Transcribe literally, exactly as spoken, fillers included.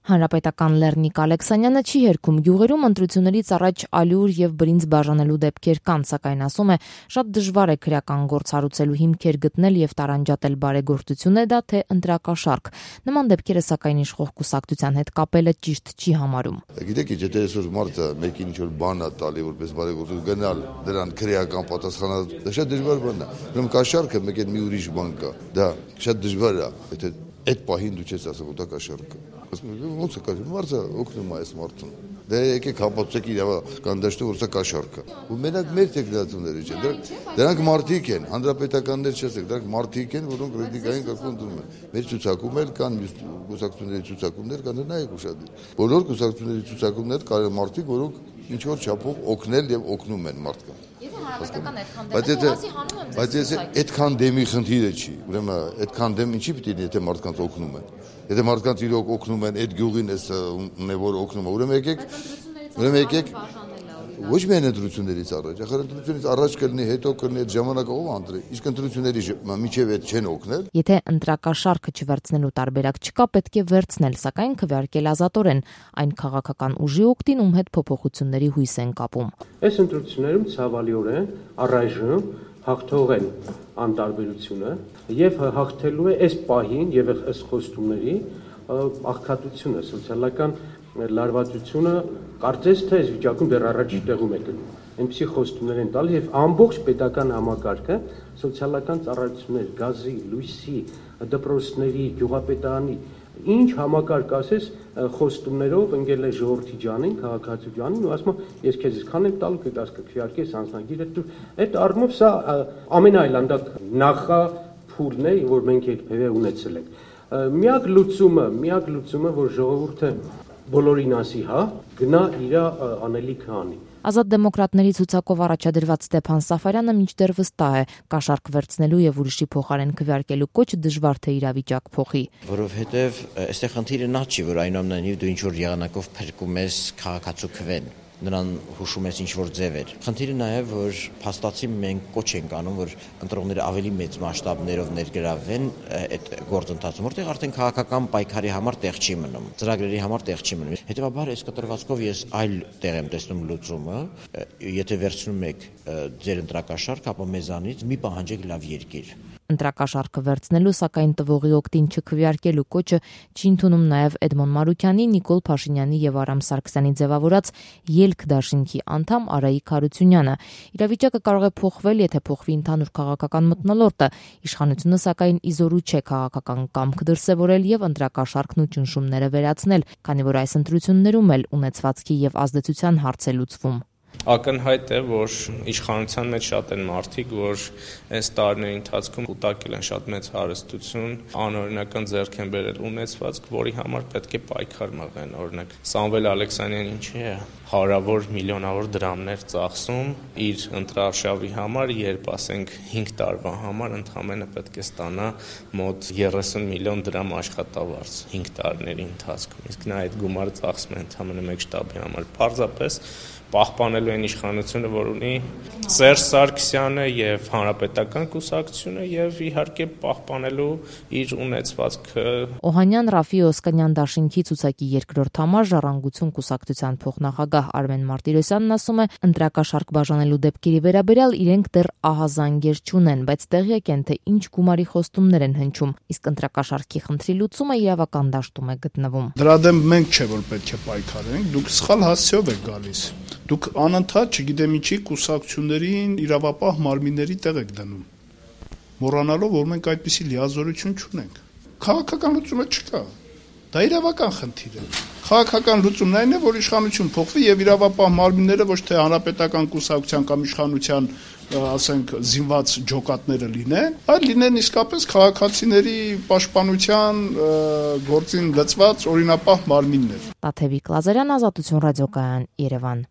Հանրապետական Լեռնիկ Ալեքսանյանը չի հերքում գյուղերում ընտրություններից առաջ ալյուր եւ բրինձ բաժանելու դեպքեր կան, սակայն ասում է, շատ դժվար է քրեական գործ հարուցելու հիմքեր գտնել եւ տարանջատել բարեգործություն է դա թե ընտրակաշառք։ Նման դեպքերը սակայն իշխող կուսակցության հետ կապելը ճիշտ չի համարում։ Գիտեք, եթե այսօր մարդը մեկին ինչ-որ բան է տալի, որպես բարեգործություն գնալ դրան քրեական պատասխանատու, դա շատ դժվար բան է։ Ուրեմն կաշառքը մեկ էլ մի ուրիշ բան կա։ Դա շատ դժվար է, եթե այդ պահին դու չես ասում, որ դա կաշառք է։ Ոնց է կաշառք, մարդը օգնում է այս մարդուն։ Դե եկեք հապացեք իրավական դաշտում, որ սա կաշառք է։ Ու մենակ մեր տեխնացիաները չեն, դրանք մարդիկ են, հանրապետականներ չասեք, դրանք մարդիկ են, որոնք ռեդիկային կարգում դնում են։ Մեր ցուցակում էլ կան կուսակցությունների ցուցակումներ, կան նայեք ուշադիր։ Բոլոր կուսակցությունների ցուցակումներ կան մարդիկ, որոնք ինչ որ չափով օգնել եւ օգնում են մարդկանց։ Բայց եթե այդքան դեմի խնդիրը չի, ուրեմն այդքան դեմ ինչի պիտի լինի, եթե մարդկանց օգնում են։ Եթե մարդկանց իրոք օգնում են, այդ գյուղին էս որ օգնում է, ուրեմն եկեք, ուրեմն եկեք ոչ միայն ընտրություններից առաջ, ախր ընտրությունից առաջ կլինի, հետո կլինի, այդ ժամանակը ով անդրի, իսկ ընտրությունների միջև այդ չեն օգնել։ Եթե ընտրակաշառքը չվերցնելու տարբերակ չկա, պետք է վերցնել, սակայն քվեարկել ազատորեն, այն քաղաքական ուժի օգտին, ում հետ փոփոխությունների հույս են կապում։ Այս ընտրություններում ցավալիորեն առայժմ հաղթող են անտարբերությունը եւ հաղթելու է այս պահին եւ այս խոստումների աղքատությունը, սոցիալական լարվածությունը, կարծես թե այս վիճակում դեռ առաջի տեղում է գնում։ Այնպիսի խոստումներ են տալիս եւ ամբողջ պետական համակարգը սոցիալական ծառայություններ, գազի, լույսի, դպրոցների, գյուղապետարանի ինչ համակարգ ասես խոստումներով ընկել է ժողովրդի ջանին, քաղաքացու ջանին ու ասում ես քեզ քան եմ տալու կգաս կքվեարկես անձնագիրը դու այդ առումով սա ամենայլանդակ նախափուլն է, որ մենք երբևէ ունեցել ենք։ Միակ լուծումը, միակ լուծումը, որ ժողովուրդը բոլորին ասի, հա, գնա իր անելիքը անի։ Ազատ դեմոկրատների ցուցակով առաջադրված Ստեփան Սաֆարյանը մինչդեռ վստահ է, կաշառք վերցնելու եւ ուրիշի փոխարեն քվեարկելու կոչը դժվար թե իրավիճակ փոխի։ Որովհետեւ այստեղ խնդիրը նա չի, որ այնուամենայնիվ դու ինչ որ եղանակով փրկում ես քաղաքացու քվեն, նրան հուշում ես ինչ որ ձևեր։ Խնդիրը նաեւ, որ փաստացի մենք կոչ ենք անում, որ ընտրողները ավելի մեծ մասշտաբներով ներգրավվեն այդ գործընթացում, որտեղ արդեն քաղաքական պայքարի համար տեղ չի մնում, ծրագրերի համար տեղ չի մնում։ Հետևաբար այս կտրվածքով ես այլ տեղ եմ տեսնում լուծումը, եթե վերցնում եք ձեր ընտրակաշառք, ապա մեզանից մի պահանջեք լավ երկիր։ Ընտրակաշառքը վերցնելու, սակայն տվողի օգտին չքվեարկելու կոչը չի ընդունում նաև Էդմոն Մարուկյանի, Նիկոլ Փաշինյանի եւ Արամ Սարգսյանի ձևավորած ելք դաշինքի անդամ Արայիկ Հարությունյանը։ Իրավիճակը կարող է փոխվել, եթե փոխվի ընդհանուր քաղաքական մթնոլորտը։ Իշխանությունը սակայն իզորու չէ քաղաքական կամք դրսևորել եւ ընտրակաշառքն ու ճնշումները վերացնել, քանի որ այս ընտրություններում էլ ունեցվածքի եւ ազդեցության հարց է լուծվում։ Ակնհայտ է, որ իշխանության մեջ շատ են մարդիկ, որ այս տարիների ընթացքում կուտակել են շատ մեծ հարստություն, անօրինական ձեռք են բերել ունեցվածք, որի համար պետք է պայքար մղեն։ Օրինակ Սամվել Ալեքսանյանն ինչի է հարավոր միլիոնավոր դրամներ ծախսում իր ընտրարշավի համար, երբ ասենք հինգ տարվա համար ընդհանրապես պետք է ստանա մոտ երեսուն միլիոն դրամ աշխատավարձ հինգ տարիների ընթացքում։ Իսկ նա այդ գումարը ծախսում է ընդհանրապես մեկ շտաբի համար։ Պարզապես պահպանելու են իշխանությունը, որ ունի Սերժ Սարգսյանը եւ Հանրապետական կուսակցությունը եւ իհարկե պահպանելու իր ունեցվածքը։ Օհանյան Ռաֆի Օսկանյան դաշինքի ցուցակի երկրորդ համար Ժառանգություն կուսակցության փոխնախագահ Արմեն Մարտիրոսյանն ասում է, ընտրակաշառք բաժանելու դեպքերի վերաբերյալ իրենք դեռ ահազանգեր չունեն, բայց տեղյակ են, թե ինչ գումարի խոստումներ են հնչում, իսկ ընտրակաշառքի խնդրի լուծումը իրավական դաշտում է գտնվում։ Դրա դեմ մենք չէ որ պետք է պայքարենք, դուք սխալ հասցեով եք գալիս։ Դուք անընդհատ չգիտեմ ինչի կուսակցություններին իրավապահ մարմինների տեղ եք դնում, մոռանալով, որ մենք այդպիսի լիազորություն չունենք։ Քաղաքական լուծումը չկա։ Դա իրավական խնդիր է։ Քաղաքական լուծումն այն է, որ իշխանություն փոխվի եւ իրավապահ մարմինները ոչ թե հանրապետական կուսակցության կամ իշխանության, ասենք, զինված ջոկատները լինեն, այլ լինեն իսկապես քաղաքացիների պաշտպանության գործին լծված օրինապահ մարմիններ։ Տաթևիկ Լազարյան, Ազատություն ռադիոկայան, Երևան։